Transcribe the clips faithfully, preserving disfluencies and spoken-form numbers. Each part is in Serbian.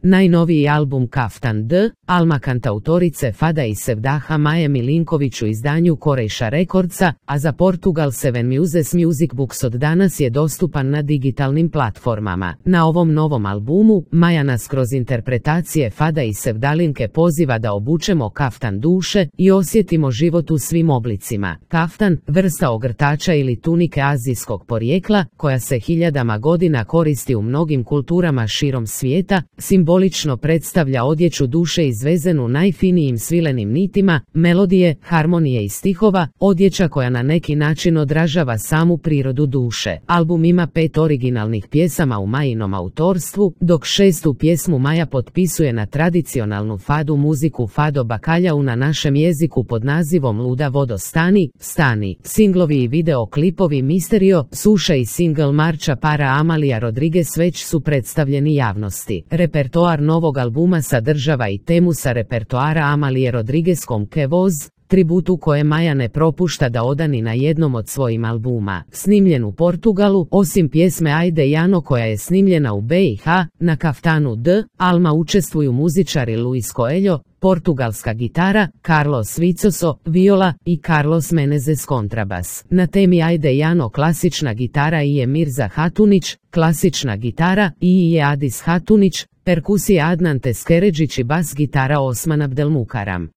Najnoviji album Kaftan D, Alma kantautorice Fada i Sevdaha Maje Milinković u izdanju Korejša Recordsa, a za Portugal Seven Muses Music Books od danas je dostupan na digitalnim platformama. Na ovom novom albumu, Maja nas kroz interpretacije Fada i Sevdalinke poziva da obučemo kaftan duše i osjetimo život u svim oblicima. Kaftan, vrsta ogrtača ili tunike azijskog porijekla, koja se hiljadama godina koristi u mnogim kulturama širom svijeta, simbolično predstavlja odjeću duše izvezenu najfinijim svilenim nitima, melodije, harmonije i stihova, odjeća koja na neki način odražava samu prirodu duše. Album ima pet originalnih pjesama u Majinom autorstvu, dok šestu pjesmu Maja potpisuje na tradicionalnu fadu muziku Fado Bakaljau na našem jeziku pod nazivom Luda vodo stani, stani. Singlovi i videoklipovi Misterio, Suša i singl Marča para Amalija Rodriguez već su predstavljeni javnosti. Repertoar novog albuma sadržava i temu sa repertoara Amalije Rodriguez Ke Voz, tributu koje Maja ne propušta da odani na jednom od svojim albuma. Snimljen u Portugalu, osim pjesme Ajde Jano koja je snimljena u B i H, na Kaftanu D, Alma učestvuju muzičari Luis Coelho, portugalska gitara, Carlos Vicoso, viola i Carlos Menezes kontrabas. Na temi Ajde Jano klasična gitara i je Mirza Hatunić, klasična gitara i je Adis Hatunić, perkusija Adnan Teskeređić i bas gitara Osman Abdelmukaram.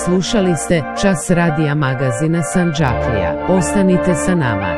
Slušali ste Čas radija magazina Sandžaklija. Ostanite sa nama.